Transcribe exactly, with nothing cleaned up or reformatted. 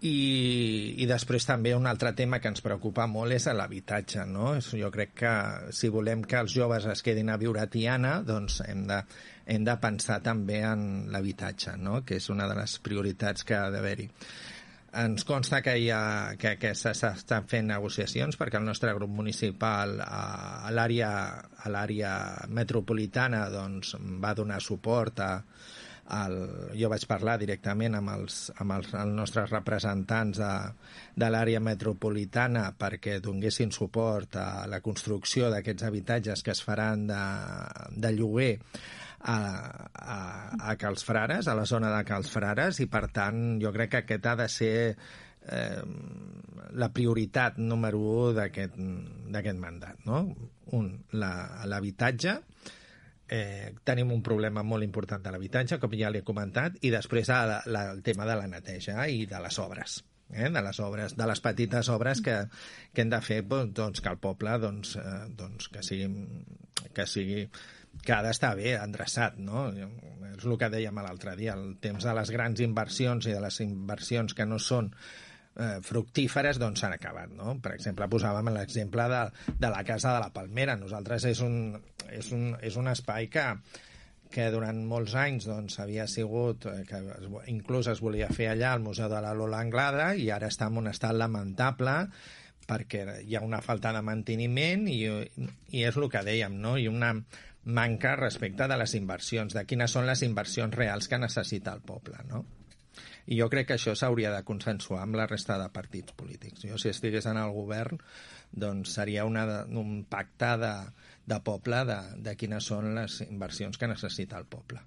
I, i després també un altre tema que ens preocupa molt és l'habitatge, no? Jo crec que si volem que els joves es quedin a viure a Tiana, doncs hem de, hem de pensar també en l'habitatge, no? Que és una de les prioritats que ha d'haver-hi. Ens consta que, hi ha, que, que s'estan fent negociacions perquè el nostre grup municipal a l'àrea a l'àrea metropolitana doncs, va donar suport a El, jo vaig parlar directament amb els, amb els, els nostres representants de, de l'àrea metropolitana perquè donguessin suport a la construcció d'aquests habitatges que es faran de, de lloguer a, a, a Cals Frares, a la zona de Cals Frares, i per tant jo crec que aquest ha de ser eh, la prioritat número u d'aquest d'aquest mandat, no? Un, l'habitatge. Eh, tenim un problema molt important de l'habitatge, com ja l'he comentat, i després la, la, el tema de la neteja i de les obres, eh? de les obres, de les petites obres que, que hem de fer doncs, que el poble doncs, eh, doncs, que sigui, que sigui que ha d'estar bé endreçat, no? És el que dèiem l'altre dia, el temps de les grans inversions i de les inversions que no són Eh, fructíferes doncs s'han acabat, no? Per exemple, posàvem l'exemple de, de la Casa de la Palmera. Nosaltres és un, és un, és un espai que, que durant molts anys doncs, havia sigut, que es, inclús es volia fer allà al Museu de la Lola Anglada, i ara està en un estat lamentable perquè hi ha una falta de manteniment i, i és el que dèiem, no? I una manca respecte de les inversions, de quines són les inversions reals que necessita el poble, no? I jo crec que això s'hauria de consensuar amb la resta de partits polítics. Jo, si estigués en el govern, doncs seria una, un pacte de, de poble de, de quines són les inversions que necessita el poble.